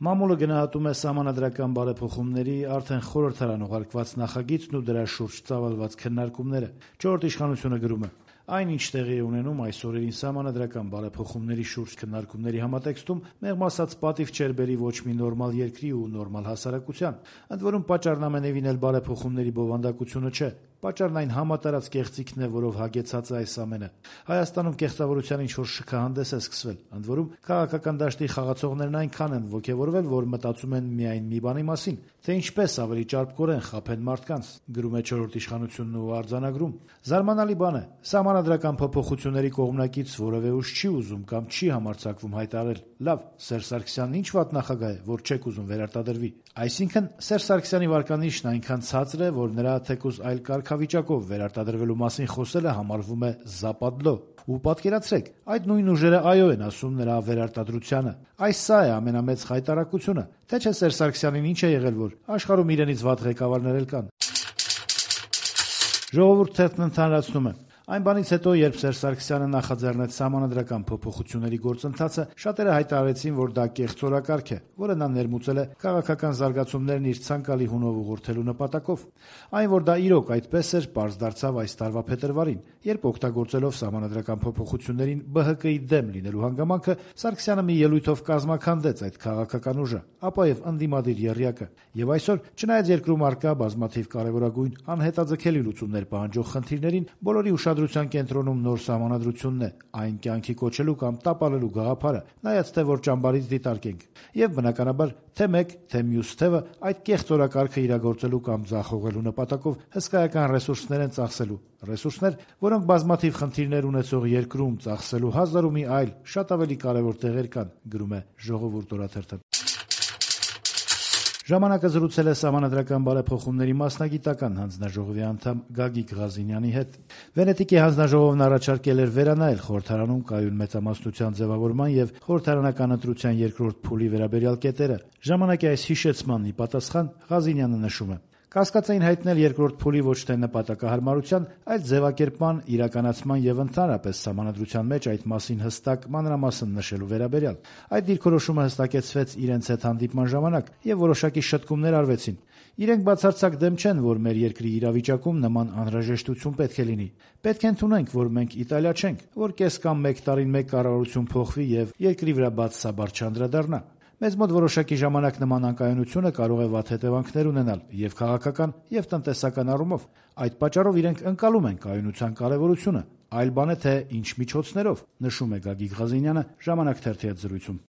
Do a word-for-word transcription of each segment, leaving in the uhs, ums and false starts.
Մամուլը գնահատում է սահմանադրական բարեփոխումների արդեն խորհրդարան ուղարկված նախագիծն ու դրա շուրջ ծավալված քննարկումները։ Չորրորդ իշխանությունը գրում է. Այն, ինչ տեղի է ունենում այս օրերին սահմանադրական բարեփոխումների շուրջ քննարկումների համատեքստում, մեղմ ասած պատիվ չէր բերի ոչ մի նորմալ երկրի ու նորմալ հասարակության, ընդ որում պատճառն ամենևին էլ բարեփոխումների բովանդակությունը չէ։ Պատճառն այն համատարած կեղծիքն է, որով հագեցած է այս ամենը։ Հայաստանում կեղծավորության ինչ-որ շքահանդես է սկսվել, ընդ որում քաղաքական դաշտի խաղացողներն այնքան են ոգևորվել, որ մտածում են միայն մի բանի մասին, թե ինչպես ավելի ճարպկորեն խաբեն մարդկանց, գրում է չորրորդ իշխանությունն ու արձանագրում։ Զարմանալի բան է, սահմանադրական փոփոխությունների կողմնակից որևէ ուժ չի ուզում կամ չի համարձակվում հայտարարել. լավ, Սերժ Սարգսյանն ինչ վատ նախագահ է, որ չեք ուզում վերարտադրվի։ Այսինքն Սերժ Սարգսյանի վարկանիշն այնքան ցածր է, որ նրա թեկուզ այլ կարգավիճակով վերարտադրվելու մասին խոսելը համարվում է զապադլո։ Ու պատկերացրեք, այդ նույն ուժերը այո են ասում նրա վերարտադրությանը։ Այս սա է ամենամեծ խայտարակությունը, թե չէ Սերժ Սարգսյանին ինչ է եղել, որ աշխարհում իրենից վատ ղեկավարներ էլ կան։ Ժողովուրդ թերթն ընդհանրացնում է. Այն բանից հետո, երբ Սերժ Սարգսյանը նախաձեռնեց սահմանադրական փոփոխությունների գործընթացը, շատերը հայտարարեցին, որ դա կեղծ օրակարգ է, որը նա ներմուծել է քաղաքական զարգացումներն իր ցանկալի հունով ուղղորդելու նպատակով։ Այն, որ դա իրոք այդպես էր, պարզ դարձավ այս տարվա փետրվարին, երբ օգտագործելով սահմանադրական փոփոխություններին Բ Հ Կ-ի դեմ լինելու հանգամանքը, Սարգսյանը մի ելույթով կազմաքանդեց այդ քաղաքական ուժը, ապա եւ ընդդիմադիր եռյակը։ Եվ այսօր, չնայած երկրում առկա բազմաթիվ կարևորագույն անհետաձգելի լուծումներ պահանջող խնդիրներին, բոլորի ուշադրության կենտրոնում նոր սահմանադրությունն է, այն կյանքի կոչելու կամ տապալելու գաղափարը, նայած թե որ ճամբարից դիտարկենք։ Եվ բնականաբար, թե մեկ, թե մյուս թևը այդ կեղծ օրակարգը իրագործելու կամ ձախողելու նպատակով հսկայական ռեսուրսներ են ծախսելու։ Ռեսուրսներ, որոնք բազմաթիվ խնդիրներ ունեցող երկրում ծախսելու հազար ու մի այլ, շատ ավելի կարևոր տեղեր կան, գրում է Ժողովուրդ օրաթերթը։ Ժամանակը զրուցել է սահմանադրական բարեփոխումների մասնագիտական հանձնաժողովի անդամ Գագիկ Ղազինյանի հետ։ Վենետիկի հանձնաժողովն առաջարկել էր վերանայել խորհրդարանում կայուն մեծամասնության ձևավորման եւ խորհրդարանական ընտրության երկրորդ փուլի վերաբերյալ կետերը։ Ժամանակի այս հիշեցմանն ի պատասխան Ղազինյանը նշում է. Կասկած էին հայտնել երկրորդ փուլի ոչ թե նպատակահարմարության, այլ ձևակերպման, իրականացման եւ ընդհանրապես սահմանադրության մեջ այդ մասին հստակ մանրամասն նշելու վերաբերյալ։ Այդ դիրքորոշումը հստակեցվեց իրենց հետ հանդիպման ժամանակ եւ որոշակի շտկումներ արվեցին։ Իրենք բացարձակ դեմ չեն, որ մեր երկրի իրավիճակում նման անհրաժեշտություն պետք է լինի։ Պետք է ընդունենք, որ մենք Իտալիա չենք, որ կես կամ մեկ տարին մեկ կառավարություն փոխվի եւ երկրի վրա բացասաբար չանդրադառնա։ Մեզ մոտ որոշակի ժամանակ նման անկայունությունը կարող է վատ հետևանքներ ունենալ եւ քաղաքական եւ տնտեսական առումով։ Այդ պատճառով իրենք ընկալում են կայունության կարեւորությունը։ Այլ բան է թե ինչ միջոցներով, նշում է Գագիկ Ղազինյանը Ժամանակ թերթի հետ զրույցում։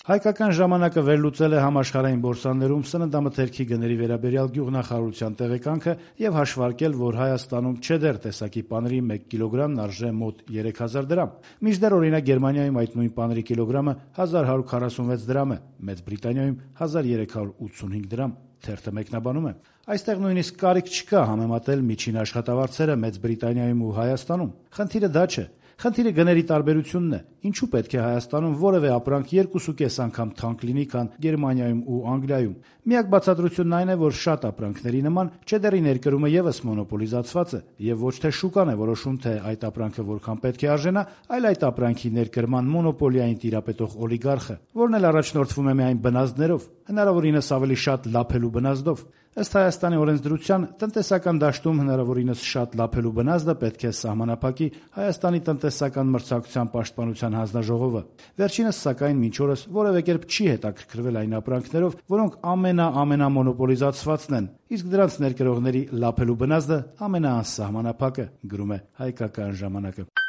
Հայկական ժամանակը վերլուծել է համաշխարհային բորսաներում սննդամթերքի գների վերաբերյալ գյուղնախարարության տեղեկանքը եւ հաշվարկել, որ Հայաստանում չեդեր տեսակի պանրի մեկ կիլոգրամն արժե մոտ երեք հազար դրամ։ Մինչդեռ օրինակ Գերմանիայում այդ նույն պանրի կիլոգրամը հազար հարյուր քառասունվեց դրամ է, Մեծ Բրիտանիայում հազար երեք հարյուր ութսունհինգ դրամ։ Թերթը մեկնաբանում է. Այստեղ նույնիսկ կարիք չկա համեմատել միջին աշխատավարձերը Մեծ Բրիտանիայում ու Հայաստանում։ Խնդիրը դա չէ։ Խնդիրը գների տարբերությունն է։ Ինչու պետք է Հայաստանում որևէ ապրանք երկուսուկես անգամ թանկ լինի, քան Գերմանիայում ու Անգլիայում։ Միակ բացատրությունն այն է, որ շատ ապրանքների նման չեդերի ներկրումը եւս մոնոպոլիզացված է, եւ ոչ թե շուկան է որոշում, թե այդ ապրանքը որքան պետք է արժենա, այլ այդ ապրանքի ներկրման մոնոպոլիային տիրապետող օլիգարխը, որն էլ առաջնորդվում է միայն բնազդներով, հնարավորինս ավելի շատ լափելու բնազդով։ Ըստ Հայաստանի օրենսդրության, տնտեսական դաշտում հնարավորինս շատ լափելու բնազդը պետք է սահմանափակի Հայաստանի տնտեսական մրցակցության պաշտպանության հանձնաժողովը։ Վերջինս, սակայն, մինչ օրս որևէ կերպ չի հետաքրքրվել այն ապրանքներով, որոնք ամենա-ամենամոնոպոլիզացվածն են, իսկ դրանց ներկրողների լափելու բնազդը ամենաանսահմանափակը, գրում է Հայկական ժամանակը։